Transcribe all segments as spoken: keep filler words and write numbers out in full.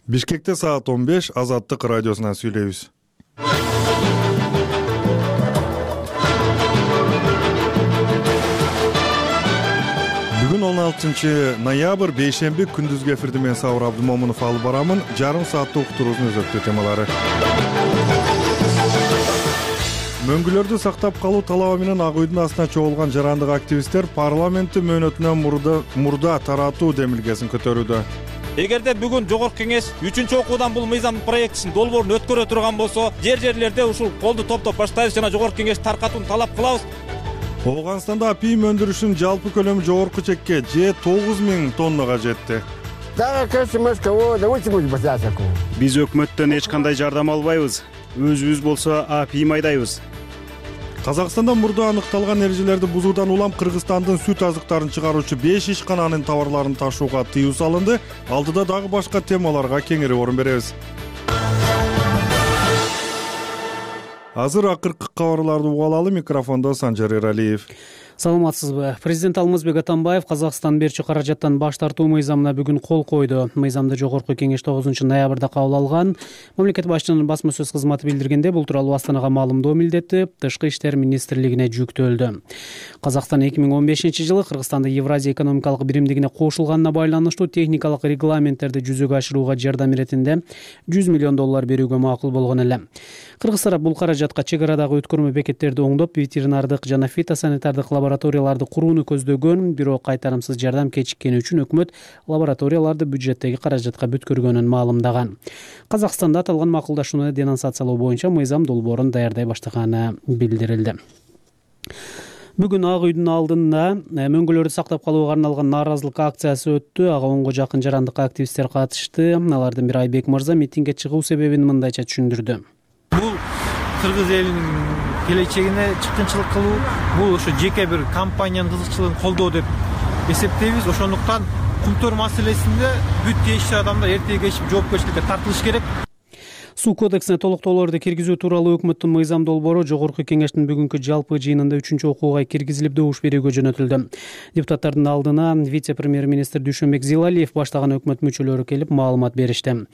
Бишкекте саат он беш Азаттык радиосунан сүйлөйбүз. Бүгүн он алтынчы ноябрь бейшемби күндүзгү эфирди мен Сабыр Абдымомунов алып барамын. Жарым сааттык уктуруубуздун өзөктүү темалары. Мөңгүлөрдү сактап калуу талабы менен Ак үйдүн астына чогулган жарандык активисттер парламентти мөөнөтүнөн мурда мурда таратуу демилгесин көтөрүүдө. Эгерде бүгүн жогорку кеңеш үчүнчү окуудан бул мыйзам проектисин долбоорун өткөрө турган болсо, жер жерлерде ушул колду топтоп баштайбыз жана жогорку кеңеш таркатууну талап кылабыз. Ооганстанда апийим өндүрүшүнүн жалпы көлөмү жогорку чекке же тогуз миң тоннага жетти. Биз өкмөттөн эч кандай жардам албайбыз. Өзүбүз болсо апийим айдайбыз. Казакстанда мурда аныкталган эрежелерди бузуудан улам Кыргызстандын сүт азыктарын чыгаруучу беш ишкананын товарларын ташууга тыюу салынды. Алдыда дагы башка темаларга кеңири орун беребиз. Азыр акыркы кабарларды угуп алалы. Микрофондо Санжар Эралиев. Саламатсызбы? Президент Алмазбек Атамбаев Казакстан берчү каражаттан баш тартуу мыйзамына бүгүн кол койду. Мыйзамды жогорку кеңеш тогузунчу ноябрда кабыл алган. Мамлекет башчынын басма сөз кызматы билдиргенде, бул тууралуу Астанага маалымдоо милдети Тышкы иштер министрлигине жүктөлдү. Казакстан эки миң он бешинчи жылы Кыргызстанды Евразия экономикалык биримдигине кошулганына байланыштуу техникалык регламенттерди жүзөгө ашырууга жардам иретинде жүз миллион доллар берүүгө макул болгон эле. Кыргыз тарап бул каражатка чек арадагы өткөрмө бекеттерди оңдоп, ветеринардык жана фитосанитардык лабораторияларды курууну көздөгөн, бирок кайтарымсыз жардам кечиккени үчүн өкмөт лабораторияларды бюджеттеги каражатка бүткөргөнүн маалымдаган. Казакстанда аталган макулдашууну денонсациялоо боюнча мыйзам долбоорун даярдай баштаганы билдирилди. Бүгүн Ак үйдүн алдында мөңгүлөрдү сактап калууга арналган нааразылык акциясы өттү. Ага онго жакын жарандык активисттер катышты. Алардын бири Айбек мырза митингге чыгуу себебин мындайча түшүндүрдү. Бул кыргыз элинин келечегине чыккынчылык кылуу, бул ошо жеке бир компаниянын кызыкчылыгын колдоо деп эсептейбиз. Ошондуктан кумтөр маселесинде бүт тийиштүү адамдар эртеге кеч жоопкерчиликке тартылыш керек. Суу кодексине толуктоолорду киргизүү тууралуу өкмөттүн мыйзам долбоору жогорку кеңештин бүгүнкү жалпы жыйынында үчүнчү окууга киргизилип добуш берүүгө жөнөтүлдү. Депутаттардын алдына вице-премьер-министр Дүйшөнбек Зилалиев баштаган өкмөт мүчөлөрү келип маалымат беришти.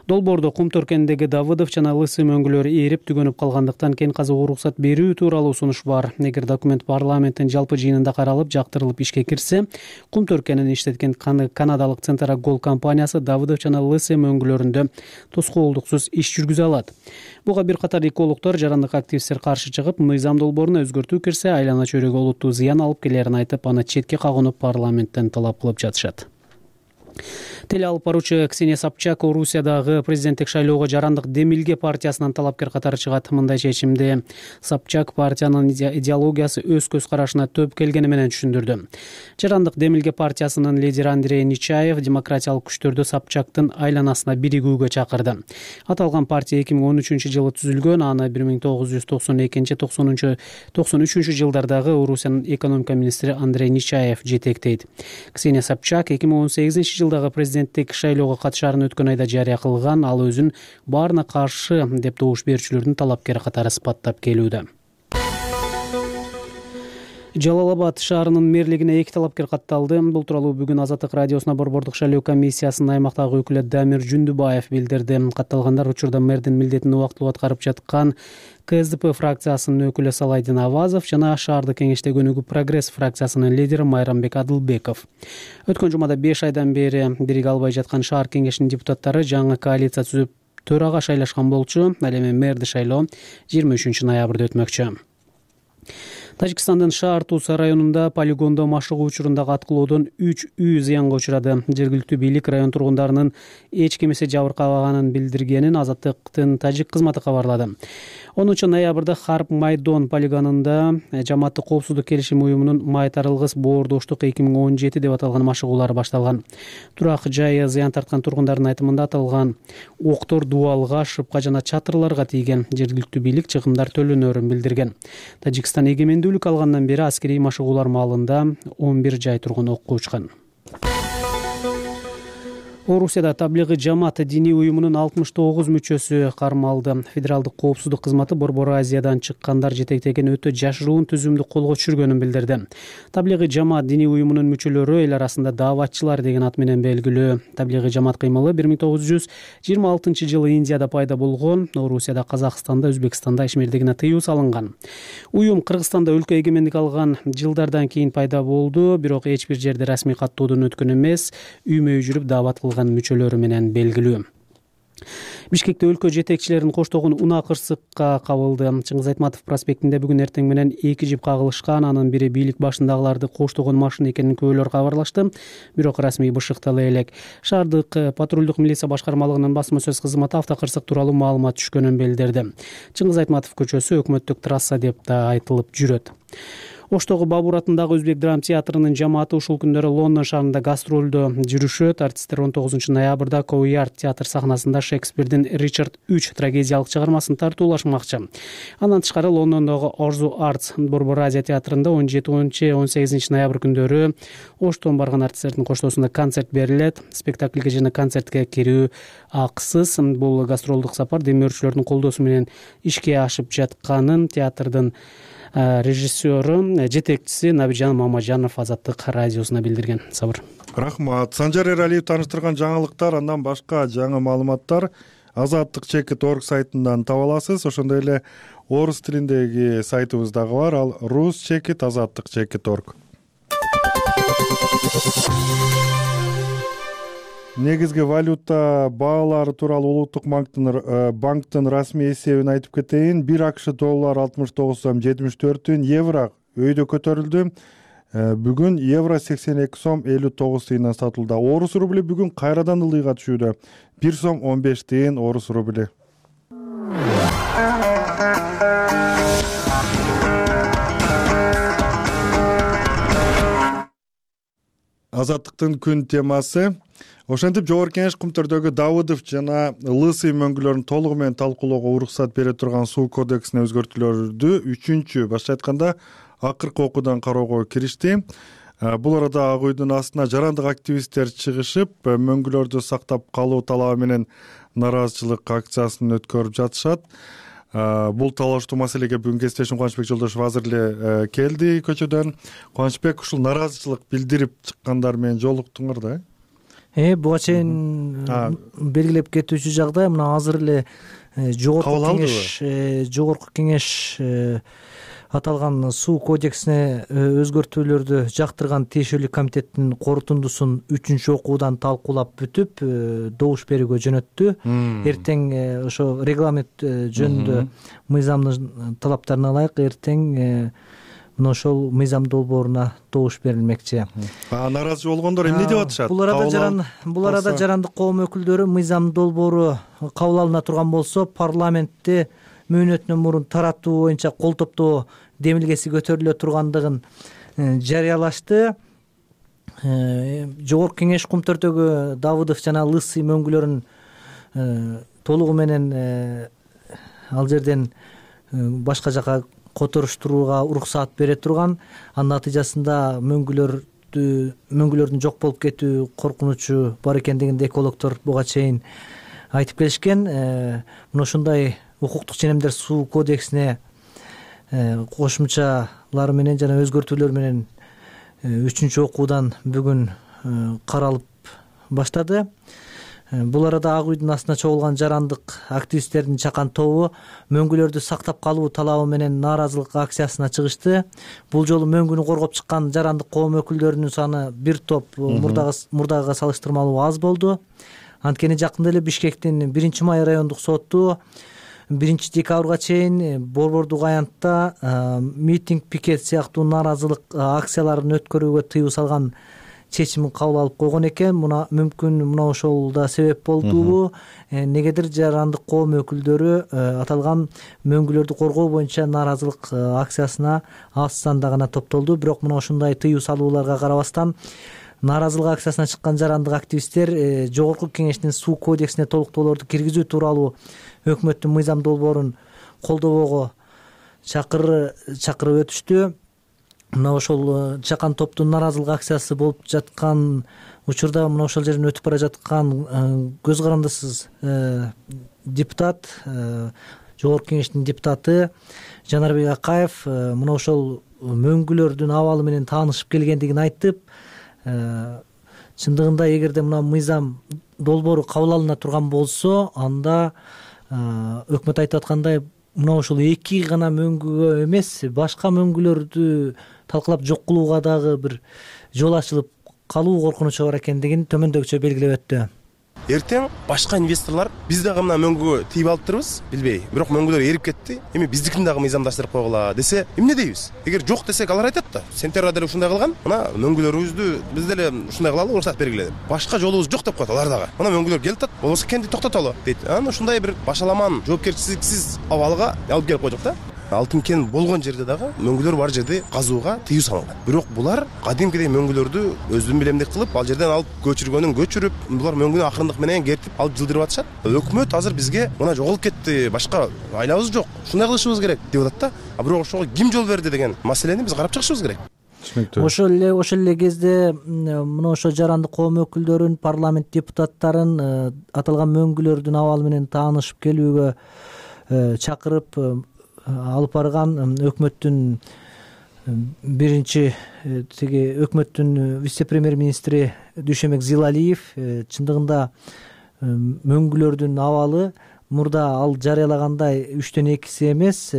Долбоордо кум төркөнүндөгү Давыдов жана Лысы мөңгүлөрү ээрип түгөнүп калгандыктан кен казууга уруксат берүү тууралуу сунуш бар. Эгер документ парламенттин жалпы жыйынында каралып, жактырылып ишке кирсе, кум төркөнүн иштеткен канадалык Центрагол компаниясы Давыдов жана Лысы мөңгүлөрүндө тоскоолдуксуз иш жүргүзө алат. Буга бир катар экологдор, жарандык активисттер каршы чыгып, мыйзам долбооруна өзгөртүү кирсе, айлана чөйрөгө олуттуу зыян алып келерин айтып, аны четке кагынып парламенттен талап кылып жатышат. Теле алып баруучу Ксения Собчак Орусиядагы президенттик шайлоого жарандык Демилге партиясынан талапкер катары чыгат. Мындай чечимди Собчак партиянын идеологиясы өз көз карашына төп келгени менен түшүндүрдү. Жарандык Демилге партиясынын лидери Андрей Нечаев демократиялык күчтөрдү Собчактын айланасына биригүүгө чакырды. Аталган партия эки миң он үчүнчү жылы түзүлгөн, аны бир миң тогуз жүз токсон экинчи токсон үчүнчү жылдардагы Орусиянын экономика министри Андрей Нечаев жетектейт. Ксения Собчак эки миң он сегизинчи жылдагы президенттик шайлоого катышаарын өткөн айда жарыя кылган. Ал өзүн баарына каршы деп добуш берүүчүлөрдүн талапкери катары сыпаттап келүүдө. Жалал Абад шаарынын мэрлигине эки талапкер катталды. Бул тууралуу бүгүн Азаттык радиосуна Борбордук шайлоо комиссиясынын аймактагы өкүлү Дамир Жүндүбаев билдирди. Катталгандар учурда мэрдин милдетин убактылуу аткарып жаткан Ка Эс Дэ Пэ фракциясынын өкүлү Салайдин Авазов жана шаардык кеңештеги өнүгүү прогресс фракциясынын лидери Майрамбек Адылбеков. Өткөн жумада беш айдан бери бириге албай жаткан шаар кеңешинин депутаттары жаңы коалиция түзүп төрага шайлашкан болчу. Ал эми мэрди шайлоо жыйырма үчүнчү ноябрда өтмөкчү. Тажикстандын Шаар-Туса районунда полигондо машыгуу учурундагы аткылоодон үч үй зыянга учурады. Жергиликтүү бийлик район тургундарынын эч кимиси жабыркабаганын билдиргенин Азаттыктын тажик кызматы кабарлады. онунчу ноябрда Харп Майдон полигонунда жамааттык коопсуздук келишим уюмунун май тарылгыс боордоштук эки миң он жети деп аталган машыгуулары башталган. Турак жайы зыян тарткан тургундардын айтымында аталган октор дубалга, шыпка жана чатырларга тийген. Жергиликтүү бийлик чыгымдар төлөнөрүн билдирген. Тажикстан эгемендүүлүк алгандан бери аскерий машыгуулар маалында он бир жай тургун окко учкан. Орусияда таблигый жамаат диний уюмунун алтымыш тогуз мүчөсү кармалды. Федералдык коопсуздук кызматы Борбор Азиядан чыккандар жетектеген өтө жашыруун түзүмдү колго түшүргөнүн билдирди. Таблигый жамаат диний уюмунун мүчөлөрү эл арасында дааватчылар деген ат менен белгилүү. Таблигый жамаат кыймылы бир миң тогуз жүз жыйырма алтынчы жылы Индияда пайда болгон. Орусияда, Казакстанда, Өзбекстанда ишмердигине тыюу салынган. Уюм Кыргызстанда өлкө эгемендик алган жылдардан кийин пайда болду, бирок эч бир жерде расмий каттоодон өткөн эмес, үймө үй жүрүп даават кылган мүчөлөрү менен белгилүү. Бишкекте өлкө жетекчилеринин коштогун унаа кырсыкка кабылды. Чыңгыз Айтматов проспектинде бүгүн эртең менен эки жип кагылышкан, анын бири бийлик башындагыларды коштогон машина экенин күбөлөр кабарлашты, бирок расмий бышыктала элек. Шаардык патрулдук милиция башкармалыгынын басма сөз кызматы автокырсык тууралуу маалымат түшкөнүн билдирди. Чыңгыз Айтматов көчөсү өкмөттүк трасса деп да айтылып жүрөт. Оштогу Бабур атындагы Өзбек драма театрынын жамааты ушул күндөрү Лондон шаарында гастролдо жүрүшөт. Артисттер он тогузунчу ноябрда Коуярд театр сахнасында Шекспирдин Ричард үч трагедиялык чыгармасын тартуулашмакчы. Андан тышкары Лондондогу Орзу Артс Борбор Азия театрында он жетинчи он сегизинчи ноябрь күндөрү Оштон барган артисттердин коштоосунда концерт берилет. Спектакльге жана концертке кирүү акысыз. Бул гастролдук сапар демөөрчүлөрдүн колдоосу менен ишке ашып жатканын театрдын режиссеру, жетекчиси Набижан Мамажанов Азаттык радиосуна билдирген. Сабыр. Рахмат. Санжар Эралиев таныштырган жаңылыктар, андан башка жаңы маалыматтар азаттык чекит точка орг сайтынан таба аласыз. Ошондой эле орус тилиндеги сайтыбыз дагы бар. Ал рус чекит азаттык чекит точка орг. Негизги валюта баалары тууралуу Улуттук банктын банктын расмий эсебин айтып кетейин. бир АКШ доллар алтымыш тогуз сом жетимиш төрт тиын, евро өйдө көтөрүлдү. Бүгүн евро сексен эки сом элүү тогуз тыйындан сатылды. Орус рубли бүгүн кайрадан ылыйга түшүүдө. бир сом он беш тыйын орус рубли. Азаттыктын күн темасы. Ошентип Жогорку Кеңеш Кумтөрдөгү Давыдов жана Лысый мөңгүлөрүн толугу менен талкуулоого уруксат бере турган суу кодексине өзгөртүүлөрдү үчүнчү башкы айтканда акыркы окуудан кароого киришти. Бул арада Ак үйдүн астына жарандык активисттер чыгышып, мөңгүлөрдү сактап калуу талабы менен нааразычылык акциясын өткөрүп жатышат. Бул талаштуу маселеге бүгүн кесиптешим Кубанычбек Жолдошов азыр эле келди көчөдөн. Кубанычбек, ушул нааразычылык билдирип чыккандар менен жолуктуңар да? Э, буга чейин белгилеп кетүүчү жагдай мына азыр эле Жогорку Кеңеш Жогорку Кеңеш аталган суу кодексине өзгөртүүлөрдү жактырган тиешелүү комитеттин корутундусун үчүнчү окуудан талкуулап бүтүп добуш берүүгө жөнөттү. Эртең ошо регламент жөнүндө мыйзамдын талаптарына ылайык эртең мына ошол мыйзам долбооруна добуш берилмекчи. Нааразы болгондор эмне деп атышат? Бул арада жаран бул арада жарандык коом өкүлдөрү мыйзам долбоору кабыл алына турган болсо, парламентте мөөнөтүнөн мурун таратуу боюнча кол топтоо демилгеси көтөрүлө тургандыгын жарыялашты. Жогорку Кеңеш Кумтөрдөгү Давыдов жана Лысый мөңгүлөрүн толугу менен ал жерден башка жака которуштурууга уруксаат бере турган. Анын натыйжасында мөңгүлөрдү мөңгүлөрдүн жок болуп кетүү коркунучу бар экендигин экологдор буга чейин айтып келишкен. Мына ушундай укуктук ченемдер суу кодексине кошумчалар менен жана өзгөртүүлөр менен үчүнчү окуудан бүгүн каралып баштады. Бул арада Ак үйдүн астына чогулган жарандык активисттердин чакан тобу мөңгүлөрдү сактап калуу талабы менен нааразылык акциясына чыгышты. Бул жолу мөңгүнү коргоп чыккан жарандык коом өкүлдөрүнүн саны бир топ мурдагыга салыштырмалуу аз болду. Анткени жакында эле Бишкектин биринчи май райондук соту биринчи декабрга чейин борбордук аянтта митинг, пикет сыяктуу нааразылык акцияларын өткөрүүгө тыюу салган чечимин кабыл алып койгон экен. Мына мүмкүн мына ошол да себеп болдубу? Негедир жарандык коом өкүлдөрү аталган мөңгүлөрдү коргоо боюнча нааразылык акциясына аз санда гана топтолду. Бирок мына ушундай тыюу салууларга карабастан нааразылык акциясына чыккан жарандык активисттер Жогорку Кеңештин суу кодексине толуктоолорду киргизүү тууралуу өкмөттүн мыйзам долбоорун колдобоого чакыр чакырып өтүштү. Мына ошол чакан топтун нааразылык акциясы болуп жаткан учурда мына ошол жерден өтүп бара жаткан көз карандысыз депутат, жогорку кеңештин депутаты Жанарбек Акаев мына ошол мөңгүлөрдүн абалы менен таанышып келгендигин айтып, чындыгында эгерде мына мыйзам долбоору кабыл алына турган болсо, анда өкмөт айтып аткандай мына ошол эки гана мөңгүгө эмес, башка мөңгүлөрдү талкалап жок кылууга дагы бир жол ачылып калуу коркунучу бар экендигин төмөндөгүчө белгилеп өттү. Эртең башка инвесторлор биз дагы мына мөңгүгө тийип алыптырбыз, билбей. Бирок мөңгүлөр эрип кетти. Эми биздикин дагы мыйзамдаштырып койгула десе, эмне дейбиз? Эгер жок десек, алар айтат да, сентябрда деле ушундай кылган, мына мөңгүлөрүбүздү биз деле ушундай кылалы, уруксат бергиле деп. Башка жолубуз жок деп коет алар дагы. Мына мөңгүлөр келип атат, болбосо кенди токтотолу дейт. Анан ушундай бир башаламан, жоопкерчиликсиз абалга алып келип койдук да. Алтын кен болгон жерде дагы мөңгүлөр бар жерде казууга тыюу салынган. Бирок булар кадимкидей мөңгүлөрдү өздүн билемдик кылып, ал жерден алып көчүргөнүн көчүрүп, булар мөңгүнү акырындык менен кертип алып жылдырып атышат. Өкмөт азыр бизге мына жоголуп кетти, башка айлабыз жок, ушундай кылышыбыз керек деп атат да. А бирок ошого ким жол берди деген маселени биз карап чыгышыбыз керек. Ошол эле ошол эле кезде мына ошо жарандык коом өкүлдөрүн, парламент депутаттарын аталган мөңгүлөрдүн абалы менен таанышып келүүгө чакырып алып барган өкмөттүн биринчи тиги өкмөттүн вице-премьер-министри Дүйшөмбек Зилалиев чындыгында мөңгүлөрдүн абалы мурда ал жарыялагандай үчтөн экиси эмес,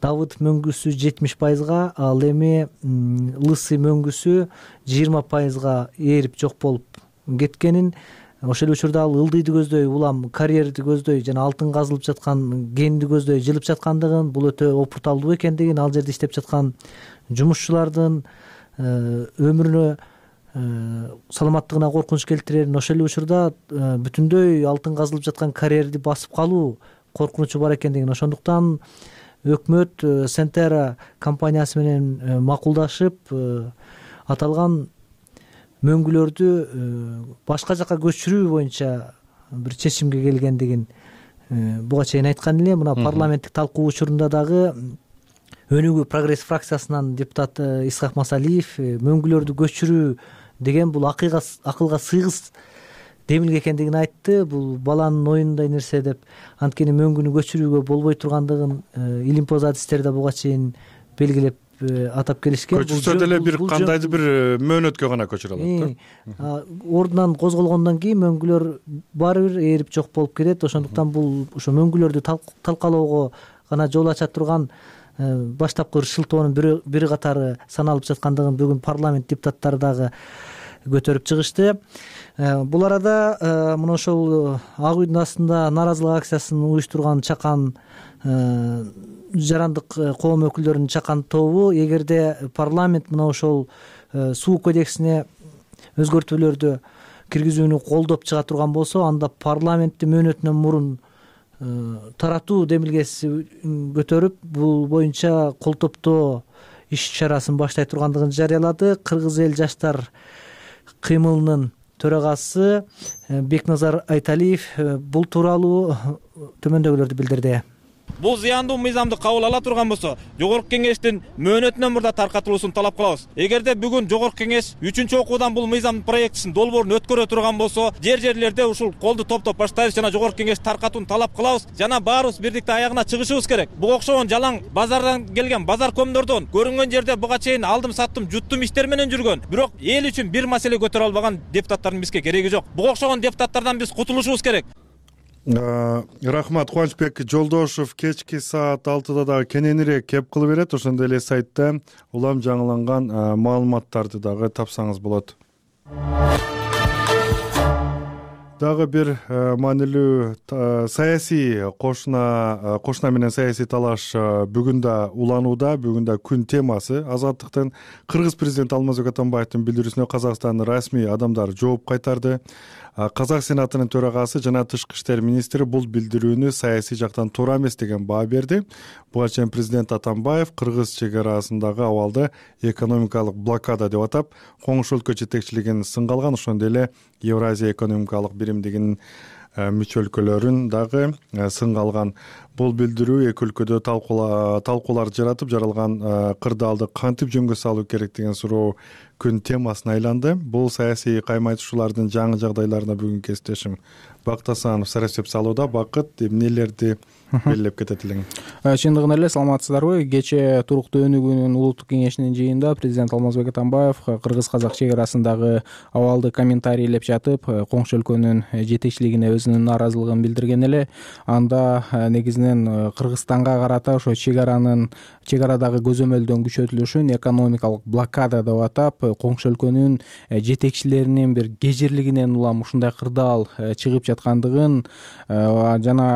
Давыдов мөңгүсү жетимиш пайызга, ал эми Лысый мөңгүсү жыйырма пайызга ээрип жок болуп кеткенин, ошол учурда ал ылдыйды көздөй, улам карьерди көздөй жана алтын казылып жаткан кенди көздөй жылып жаткандыгын, бул өтө опурталдуу экендигин, ал жерде иштеп жаткан жумушчулардын өмүрүнө, саламаттыгына коркунуч келтирерин, ошол эле учурда бүтүндөй алтын казылып жаткан карьерди басып калуу коркунучу бар экендигин, ошондуктан өкмөт Сентера компаниясы менен макулдашып аталган мөңгүлөрдү башка жака көчүрүү боюнча бир чечимге келгендигин буга чейин айткан эле. Мына парламенттик талкуу учурунда дагы Өнүгүү прогресс фракциясынан депутат Исхак Масалиев мөңгүлөрдү көчүрүү деген бул акылга сыйгыс демилге экендигин айтты. Бул баланын оюнундай нерсе деп, анткени мөңгүнү көчүрүүгө болбой тургандыгын илимпоз адистерде буга чейин белгилеп атап келишкен. Көчүрсө деле бир кандайдыр бир мөөнөткө гана көчүрө алат да. Ордунан козголгондон кийин мөңгүлөр баары бир ээрип жок болуп кетет. Ошондуктан бул ошо мөңгүлөрдү талкалоого гана жол ача турган баштапкы шылтоонун бири катары саналып жаткандыгын бүгүн парламент депутаттары дагы көтөрүп чыгышты. Бул арада мына ошол Ак үйдүн астында нааразылык акциясын уюштурган чакан жарандык коом өкүлдөрүнүн чакан тобу, эгерде парламент мына ошол суу кодексине өзгөртүүлөрдү киргизүүнү колдоп чыга турган болсо, анда парламентти мөөнөтүнөн мурун таратуу демилгеси көтөрүп, бул боюнча кол топтоо иш чарасын баштай тургандыгын жарыялады. Кыргыз эл жаштар кыймылынын төрагасы Бекназар Айталиев бул тууралуу төмөндөгүлөрдү билдирди. Бул зыяндуу мыйзамды кабыл ала турган болсо, жогорку кеңештин мөөнөтүнөн мурда таркатылуусун талап кылабыз. Эгерде бүгүн жогорку кеңеш үчүнчү окуудан бул мыйзам проектисин долбоорун өткөрө турган болсо, жер-жерлерде ушул колду топтоп баштайбыз жана жогорку кеңеш таркатууну талап кылабыз жана баарыбыз бирдикте аягына чыгышыбыз керек. Буга окшогон жалаң базардан келген базар көмдөрдөн көрүнгөн жерде буга чейин алдым саттым, жуттум иштер менен жүргөн, бирок эл үчүн бир маселе көтөрө албаган депутаттардын бизге кереги жок. Буга окшогон депутаттардан биз кутулушубуз керек. Рахмат. Кубанычбек Жолдошов кечки саат алтыда дагы кененирээк кеп кылып берет. Ошондой эле сайтта улам жаңыланган маалыматтарды дагы тапсаңыз болот. Дагы бир маанилүү саясий кошуна кошуна менен саясий талаш бүгүн да уланууда. Бүгүн да күн темасы. Азаттыктын Кыргыз президенти Алмазбек Атамбаевдин билдирүүсүнө Казакстандын расмий адамдары жооп кайтарды. Казак сенатынын төрагасы жана тышкы иштер министри бул билдирүүнү саясий жактан туура эмес деген баа берди. Буга чейин президент Атамбаев Кыргыз чек арасындагы абалды экономикалык блокада деп атап, коңшу өлкө жетекчилигин сынга алган. Ошондой эле Евразия экономикалык биримдигинин мүчө өлкөлөрүн дагы сынга алган. Бул билдирүү эки өлкөдө талкуулар жаратып, жаралган кырдаалды кантип жөнгө салуу керек деген суроо күн темасына айланды. Бул саясий кайма айтышуулардын жаңы жагдайларына бүгүн кесиптешим Бакыт Асанов сарасеп салууда. Бакыт, эмнелерди белгилеп кетет элең? Чындыгында эле саламатсыздарбы? Кечээ туруктуу өнүгүүнүн улуттук кеңешинин жыйынында президент Алмазбек Атамбаев кыргыз-казак чек арасындагы абалды комментарийлеп жатып, коңшу өлкөнүн жетекчилигине өзүнүн нааразылыгын билдирген эле. Анда негизинен Кыргызстанга карата ошо чек аранын чек арадагы көзөмөлдөн күчөтүлүшүн экономикалык блокада деп атап, коңшу өлкөнүн жетекчилеринин бир кежирлигинен улам ушундай кырдаал чыгып жаткандыгын жана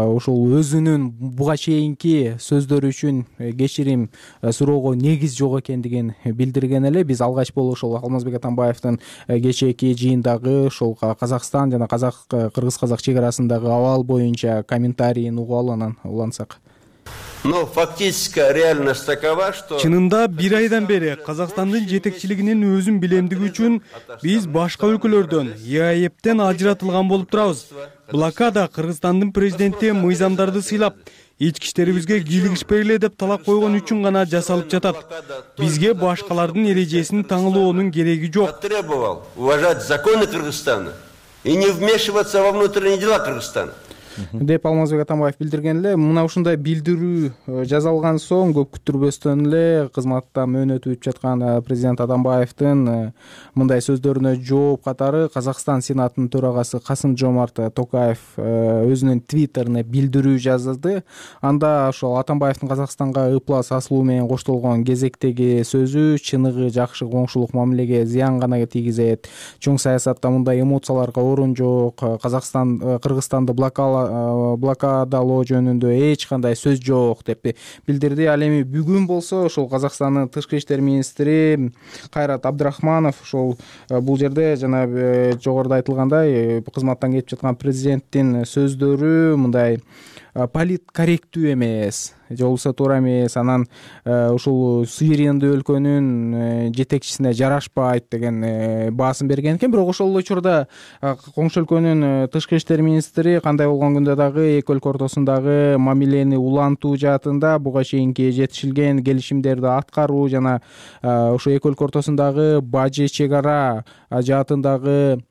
ушул өзүнүн буга чейинки сөздөрү үчүн кечирим суроого негиз жок экендигин билдирген эле. Биз алгач болуп ошол Алмазбек Атамбаевдин кечээки жыйындагы ошол Казакстан жана казак кыргыз-казак чек арасындагы абал боюнча комментарийин угуп алып анан улантсак. Но фактическая реальность такова, что чынында бир айдан бери Казакстандын жетекчилигинин өзүн билемдиги үчүн биз башка өлкөлөрдөн ЕАЭптен ажыратылган болуп турабыз. Блокада Кыргызстандын президенти мыйзамдарды сыйлап, ички иштерибизге кийлигишпегиле деп талап койгон үчүн гана жасалып жатат. Бизге башкалардын эрежесин таңылоонун кереги жок. Требовал уважать законы Кыргызстана и не вмешиваться во внутренние дела Кыргызстана деп Алмазбек Атамбаев билдирген эле. Мына ушундай билдирүү жазалган соң көп күттүрбөстөн эле кызматта мөөнөтү бүтүп жаткан президент Атамбаевдин мындай сөздөрүнө жооп катары Казакстан Сенатынын төрагасы Касым-Жомарт Токаев өзүнүн твиттерине билдирүү жазды. Анда ошол Атамбаевдин Казакстанга ыплас асылуу менен коштолгон кезектеги сөзү чыныгы жакшы коңшулук мамилеге зыян гана тийгизет. Чоң саясатта мындай эмоцияларга орун жок. Казакстан Кыргызстанды блокала блокадалоо жөнүндө эч кандай сөз жок деп билдирди. Ал эми бүгүн болсо ошол Казакстандын тышкы иштер министри Кайрат Абдрахманов ошол бул жерде жана жогоруда айтылгандай кызматтан кетип жаткан президенттин сөздөрү мындай политкорректүү эмес, же болбосо туура эмес, анан ушул суверендүү өлкөнүн жетекчисине жарашпайт деген баасын берген экен. Бирок ошол учурда коңшу өлкөнүн тышкы иштер министри кандай болгон күндө дагы эки өлкө ортосундагы мамилени улантуу жаатында буга чейинки жетишилген келишимдерди аткаруу жана ошо эки өлкө ортосундагы бажы чек ара жаатындагы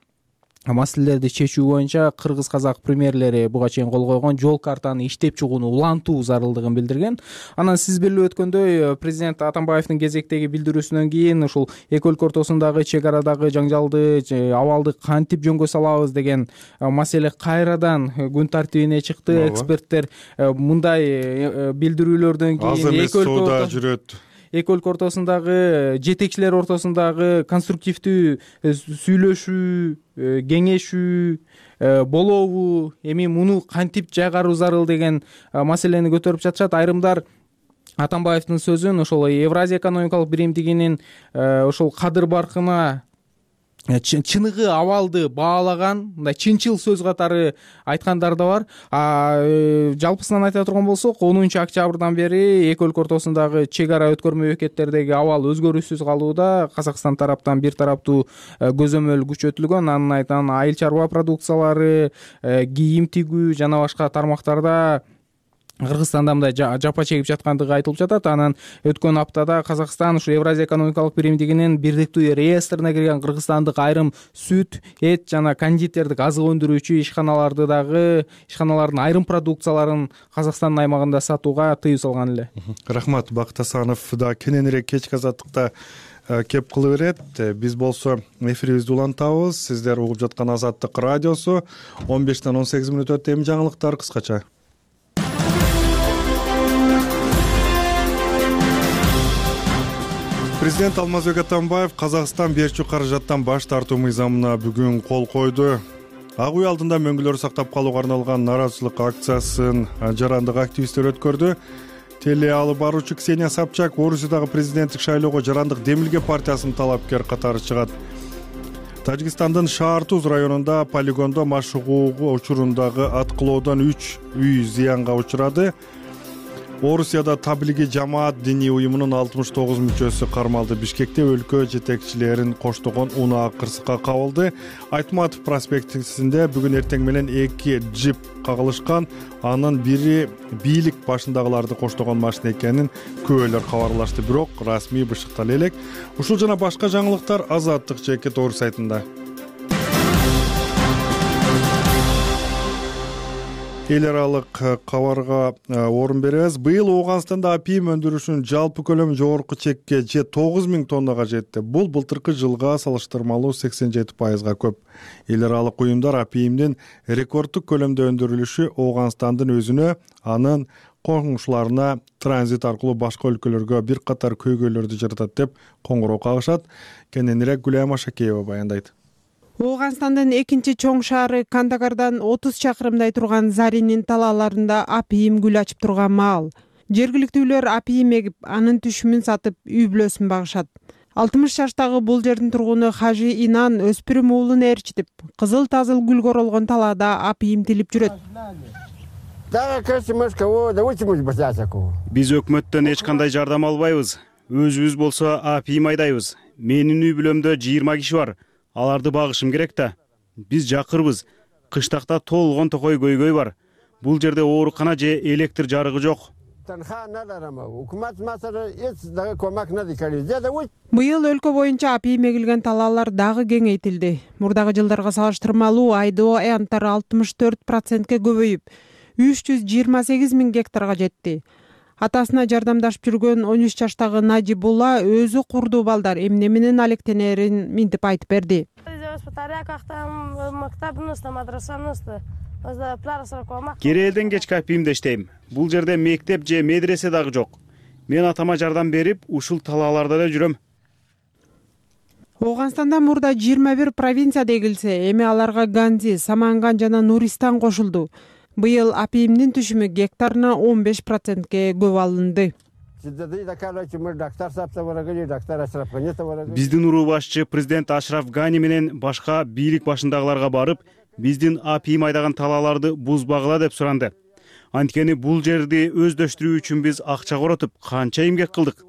маселелерди чечүү боюнча кыргыз-казак премьерлери буга чейин кол койгон жол картаны иштеп чыгууну улантуу зарылдыгын билдирген. Анан сиз билип өткөндөй президент Атамбаевдин кезектеги билдирүүсүнөн кийин ушул эки өлкө ортосундагы чек арадагы жаңжалды абалды кантип жөнгө салабыз деген маселе кайрадан күн тартибине чыкты. Эксперттер мындай билдирүүлөрдөн кийин эки өлкө жүрөт эки өлкө ортосундагы жетекчилер ортосундагы конструктивдүү сүйлөшүү, кеңешүү болобу, эми муну кантип жайгаруу зарыл деген маселени көтөрүп жатышат. Айрымдар Атамбаевдин сөзүн ошол Евразия экономикалык биримдигинин ошол кадыр баркына чыныгы абалды баалаган, мындай чынчыл сөз катары айткандар да бар. Жалпысынан айта турган болсок, онунчу октябрдан бери эки өлкө ортосундагы чек ара өткөрмө бекеттердеги абал өзгөрүүсүз калууда. Казакстан тараптан бир тараптуу көзөмөл күчөтүлгөн. Анын айтан айыл чарба продукциялары, кийим тигүү жана башка тармактарда Кыргызстанда мындай жапа чегип жаткандыгы айтылып жатат. Анан өткөн аптада Казакстан ушу Евразия экономикалык биримдигинин бирдиктүү реестрине кирген кыргызстандык айрым сүт, эт жана кондитердик азык өндүрүүчү ишканаларды дагы ишканалардын айрым продукцияларын Казакстандын аймагында сатууга тыюу салган эле. Рахмат. Бакыт Асанов да кененирээк кечки азаттыкта кеп кылы берет. Биз болсо эфирибизди улантабыз. Сиздер угуп жаткан Азаттык радиосу. он бештен он сегиз мүнөт өтө. Эми жаңылыктар кыскача. Президент Алмазбек Атамбаев Казакстан берчү каражаттан баш тартуу мыйзамына бүгүн кол койду. Ак үй алдында мөңгүлөрдү сактап калууга арналган нааразычылык акциясын жарандык активисттер өткөрдү. Теле алып баруучу Ксения Собчак Орусиядагы президенттик шайлоого жарандык Демилге партиясынын талапкер катары чыгат. Тажикстандын Шаартуз районунда полигондо машыгуу учурундагы аткылоодон үч үй зыянга учурады. Орусияда Таблиги жамаат диний уюмунун алтымыш тогуз мүчөсү кармалды. Бишкекте өлкө жетекчилерин коштогон унаа кырсыкка кабылды. Айтматов проспектисинде бүгүн эртең менен эки джип кагылышкан. Анын бири бийлик башындагыларды коштогон машина экенин күбөлөр кабарлашты, бирок расмий бышыктала элек. Ушул жана башка жаңылыктар Азаттык жеке тоор сайтында. Эл аралык кабарга орун беребиз. Быйыл Ооганстанда апийим өндүрүшүнүн жалпы көлөмү жогорку чекке же тогуз миң тоннага жетти. Бул былтыркы жылга салыштырмалуу сексен жети пайызга көп. Эл аралык уюмдар апийимдин рекорддук көлөмдө өндүрүлүшү Ооганстандын өзүнө, анын коңшуларына транзит аркылуу башка өлкөлөргө бир катар көйгөйлөрдү жаратат деп коңгуроо кагышат. Кененирээк Гүлайма Шакеева баяндайт. Ооганстандын экинчи чоң шаары Кандагардан отуз чакырымдай турган Заринин талааларында апийим гүл ачып турган маал. Жергиликтүүлөр апийим эгип, анын түшүмүн сатып, үй бүлөсүн багышат. алтымыш жаштагы бул жердин тургуну Хажи Инан өспүрүм уулун ээрчитип, кызыл тазыл гүлгө оролгон талаада апийим тилип жүрөт. Биз өкмөттөн эч кандай жардам албайбыз. Өзүбүз болсо апийим айдайбыз. Менин үй бүлөмдө жыйырма киши бар. Аларды багышым керек да. Биз жакырбыз. Кыштакта толгон токой көйгөй бар. Бул жерде оорукана же электр жарыгы жок. Быйыл өлкө боюнча апийим эгилген талаалар дагы кеңейтилди. Мурдагы жылдарга салыштырмалуу айдоо аянттары алтымыш төрт процентке көбөйүп, үч жүз жыйырма сегиз миң гектарга жетти. Атасына жардамдашып жүргөн он үч жаштагы Наджибулла өзү курдуу балдар эмне менен алектенерин минтип айтып берди. Кире элден кечки апийимде иштейм. Бул жерде мектеп же медресе дагы жок. Мен атама жардам берип, ушул талааларда эле жүрөм. Ооганстанда мурда жыйырма бир провинцияда эгилсе, эми аларга Ганзи, Саманган жана Нуристан кошулду. Быйыл апийимдин түшүмү гектарына он беш процентке көп алынды. Биздин уруу башчы президент Ашраф Гани менен башка бийлик башындагыларга барып, биздин апийим айдаган талааларды бузбагыла деп суранды. Анткени бул жерди өздөштүрүү үчүн биз акча коротуп, канча эмгек кылдык.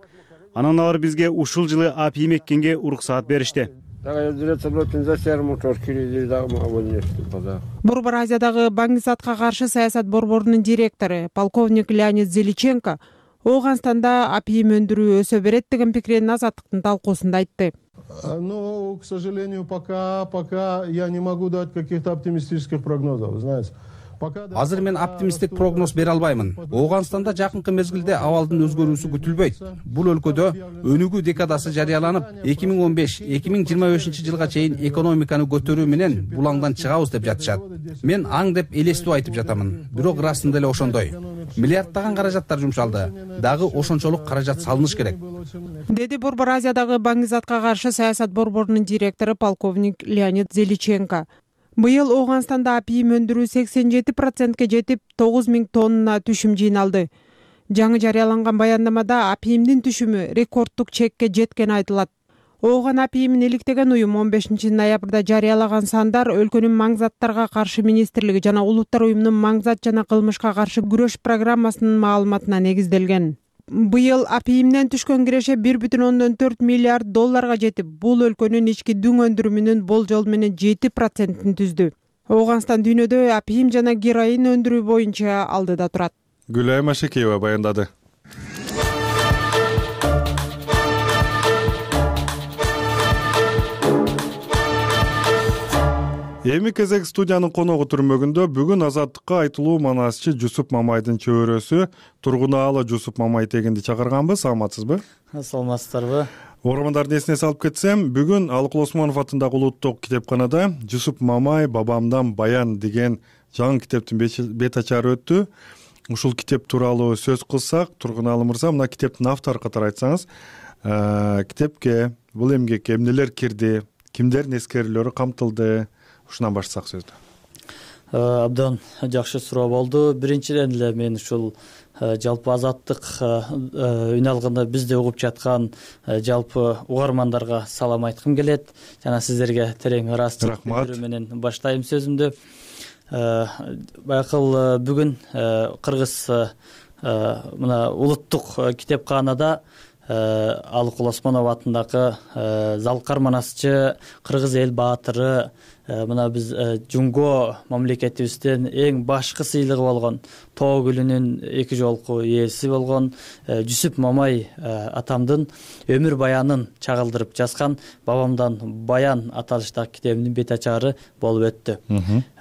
Анан алар бизге ушул жылы апийим эккенге уруксаат беришти. Борбор Азиядагы баңгизатка каршы саясат борборунун директору полковник Леонид Зеличенко Ооганстанда апийим өндүрүү өсө берет деген пикирин Азаттыктын талкуусунда айтты. Но, к сожалению, пока пока я не могу дать каких-то оптимистических прогнозов, знаете. Азыр мен оптимисттик прогноз бере албаймын. Ооганстанда жакынкы мезгилде абалдын өзгөрүүсү күтүлбөйт. Бул өлкөдө өнүгүү декадасы жарыяланып, эки миң он беш эки миң жыйырма бешинчи жылга чейин экономиканы көтөрүү менен булаңдан чыгабыз деп жатышат. Мен аң деп элестүү айтып жатамын. Бирок ырасында эле ошондой. Миллиарддаган каражаттар жумшалды. Дагы ошончолук каражат салыныш керек. Деди Борбор Азиядагы баңгизатка каршы саясат борборунун директору полковник Леонид Зеличенко. Быйыл Ооганстанда апийим өндүрүү сексен жети процентке жетип, тогуз миң тонна түшүм жыйналды. Жаңы жарыяланган баяндамада апийимдин түшүмү рекорддук чекке жеткени айтылат. Ооган апийимин иликтеген уюм он бешинчи ноябрда жарыялаган сандар өлкөнүн маңзаттарга каршы министрлиги жана улуттар уюмунун маңзат жана кылмышка каршы күрөш программасынын маалыматына негизделген. Быйыл апийимден түшкөн киреше бир бүтүн ондон төрт миллиард долларга жетип, бул өлкөнүн ички дүң өндүрүмүнүн болжол менен жети процентин түздү. Ооганстан дүйнөдө апийим жана героин өндүрүү боюнча алдыда турат. Гүлайма Шакеева баяндады. Эми кезек студиянын коногу түрмөгүндө бүгүн Азаттыкка айтылуу манасчы Жусуп Мамайдын чөбөрөсү Тургунаалы Жусуп Мамай тегинди чакырганбыз. Саламатсызбы? Саламатсыздарбы? Угармандардын эсине салып кетсем, бүгүн Алыкул Осмонов атындагы улуттук китепканада Жусуп Мамай бабамдан баян деген жаңы китептин бет ачары өттү. Ушул китеп тууралуу сөз кылсак, Тургунаалы мырза, мына китептин автору катары айтсаңыз, китепке бул эмгекке эмнелер кирди, кимдердин эскерүүлөрү камтылды? Ушунан баштасак сөздү. Абдан жакшы суроо болду. Биринчиден эле мен ушул жалпы Азаттык үн алганда бизди угуп жаткан жалпы угармандарга салам айткым келет. Жана сиздерге терең ыраазычылык билдирүү менен баштайм сөзүмдү. Байкыл бүгүн кыргыз мына улуттук китепкаанада Алыкул Осмонов атындагы Залкар Манасчы, кыргыз эл баатыры, мына биз жунго мамлекетибиздин эң башкы сыйлыгы болгон Тоо гүлүнүн эки жолку ээси болгон Жүсүп Мамай атамдын өмүр баянын чагылдырып жазган Бабамдан баян аталыштагы китебинин бет ачары болуп өттү.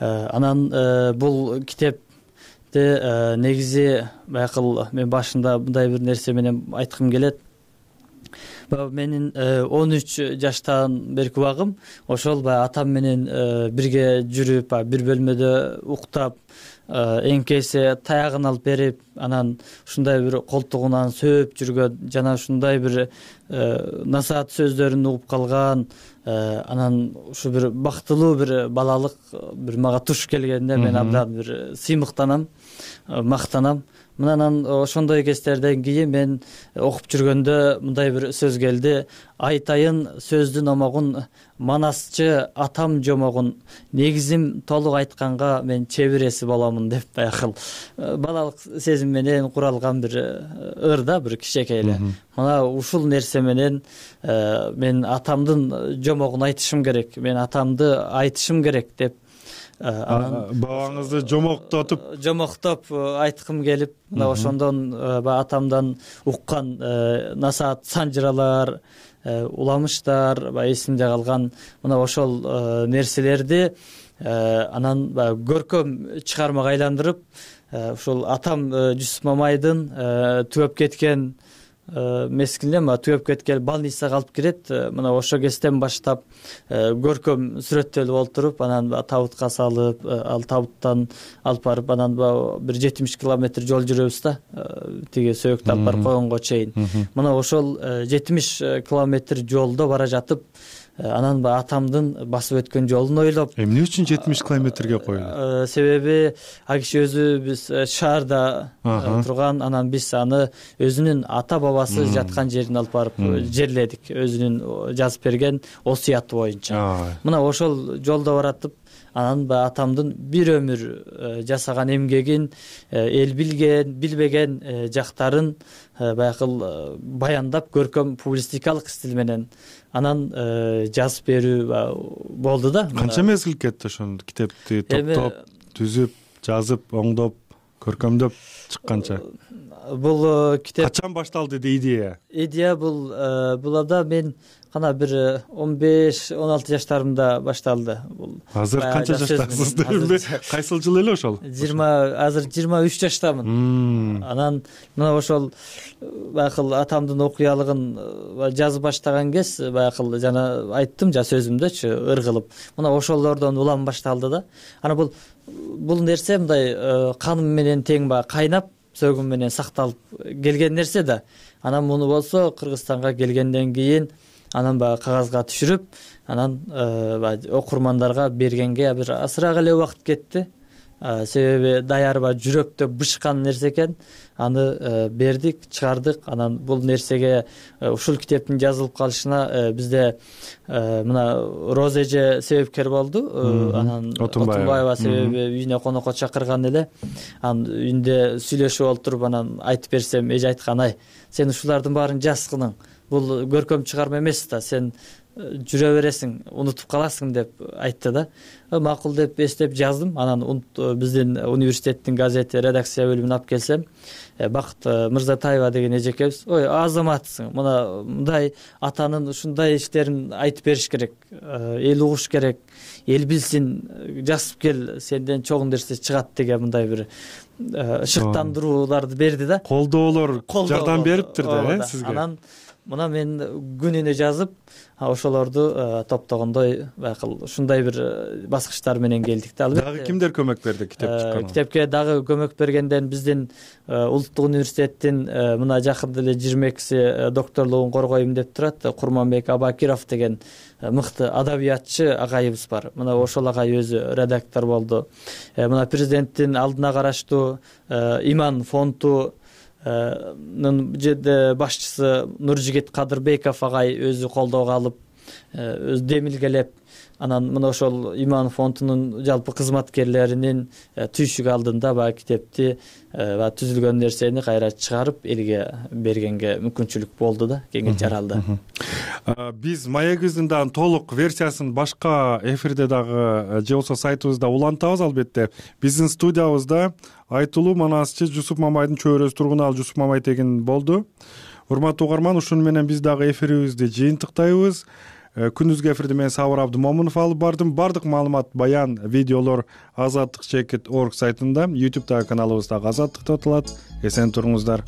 Анан бул китеп негизи байкыл мен башында мындай бир нерсе менен айткым келет. Менин он үч жаштан берки убагым ошол баягы атам менен бирге жүрүп, бир бөлмөдө уктап, эңкесе таягын алып берип, анан ушундай бир колтугунан сөөп жүргөн жана ушундай бир насаат сөздөрүн угуп калган, анан ушу бир бактылуу бир балалык бир мага туш келгенде мен абдан бир сыймыктанам, мактанам. Мынанан ошондой кездерден кийин мен окуп жүргөндө мындай бир сөз келди. Айтайын сөздүн омогун, Манасчы атам жомогун, негизим толук айтканга мен чебиреси боломун деп байкыл балалык сезим менен куралган бир ыр да, бир кичинекей эле. Мына ушул нерсе менен мен атамдын жомогун айтышым керек, мен атамды айтышым керек деп бабаңызды жомоктотуп жомоктоп айткым келип, мына ошондон баягы атамдан уккан насаат санжыралар, уламыштар баягы эсимде калган. Мына ошол нерселерди анан баягы көркөм чыгармага айландырып, ушул атам Жүсүп Мамайдын түгөп кеткен мезгилинде түгөп кеткен больницага алып кирет. Мына ошол кезден баштап көркөм сүрөттөлүп олтуруп, анан табутка салып, ал табуттан алып барып, анан бир жетимиш километр жол жүрөбүз да, тиги сөөктү алып барып койгонго чейин. Мына ошол жетимиш километр жолдо бара жатып, анан баягы атамдын басып өткөн жолун ойлоп, эмне үчүн жетимиш километрге коюлду? Себеби ал киши өзү биз шаарда турган, анан биз аны өзүнүн ата бабасы жаткан жерине алып барып жерледик, өзүнүн жазып берген осуяты боюнча. Мына ошол жолдо баратып, анан баягы атамдын бир өмүр жасаган эмгегин, эл билген, билбеген жактарын байкыл баяндап, көркөм публистикалык стиль менен анан жазып берүү болду да. Канча мезгил кетти ошону китепти топтоп, түзүп, жазып, оңдоп, көркөмдөп чыкканча? Бул китеп качан башталды идея? Идея бул булада мен кана бир он беш он алты жаштарымда башталды. Бул азыр канча жаштасыз деймби? Кайсыл жыл эле ошол? жыйырма азыр жыйырма үч жаштамын. Анан мына ошол байкыл атамдын окуялыгын жазып баштаган кез, байкыл жана айттым жа сөзүмдөчү ыр кылып. Мына ошолордон улам башталды да. Анан бул бул нерсе мындай каным менен тең баягы кайнап, сөгүм менен сакталып келген нерсе да. Анан муну болсо Кыргызстанга келгенден кийин анан баягы кагазга түшүрүп, анан окурмандарга бергенге бир азыраак эле убакыт кетти. Себеби даярба жүрөктө бышкан нерсе экен. Аны бердик, чыгардык. Анан бул нерсеге, ушул китептин жазылып калышына бизде мына Роза эже себепкер болду. Анан Отунбаева себеби үйүнө конокко чакырган эле. Анан үйүндө сүйлөшүп олтуруп, анан айтып берсем, эже айткан: "Ай, сен ушулардын баарын жазгының. Бул көркөм чыгарма эмес да, сен жүрө бересиң, унутуп каласың" деп айтты да. Макул деп эстеп жаздым. Анан биздин университеттин газети редакция бөлүмүнө алып келсем, Бакыт Мырзатаева деген эжекебиз: "Ой, азаматсың. Мына мындай атанын ушундай иштерин айтып бериш керек. Эл угуш керек, эл билсин, жазып кел, сенден чоң нерсе чыгат" деген мындай бир шыктандырууларды берди да. Колдоолор жардам бериптир да сизге. Анан мына мен күнүнө жазып, ошолорду топтогондой байкыл ушундай бир баскычтар менен келдик да. Албетте дагы кимдер көмөк берди китеп чыкканга? Китепке дагы көмөк бергенден биздин Улуттук университеттин мына жакында эле жыйырма экиси докторлугун коргойм деп турат, Курманбек Абакиров деген мыкты адабиятчы агайыбыз бар. Мына ошол агай өзү редактор болду. Мына президенттин алдына караштуу Иман фонду башчысы Нуржигит Кадырбеков агай өзү колдоого алып, өз демилгелеп, анан мына ошол иман фондунун жалпы кызматкерлеринин түйшүк алдында баягы китепти баягы түзүлгөн нерсени кайра чыгарып элге бергенге мүмкүнчүлүк болду да, кеңири жаралды. Биз маегибиздин дагы толук версиясын башка эфирде дагы же болбосо сайтыбызда улантабыз. Албетте биздин студиябызда айтылуу манасчы Жусуп Мамайдын чөйрөсү тургунаалы Жусуп Мамай деген болду. Урматтуу угарман, ушуну менен биз дагы эфирибизди жыйынтыктайбыз. Күндүзгү эфирди мен Сабыр Абдымомунов алып бардым. Бардык маалымат, баян, видеолор азаттык чекит точка орг сайтында, ютубтагы каналыбыз дагы Азаттык деп аталат. Эсен туруңуздар.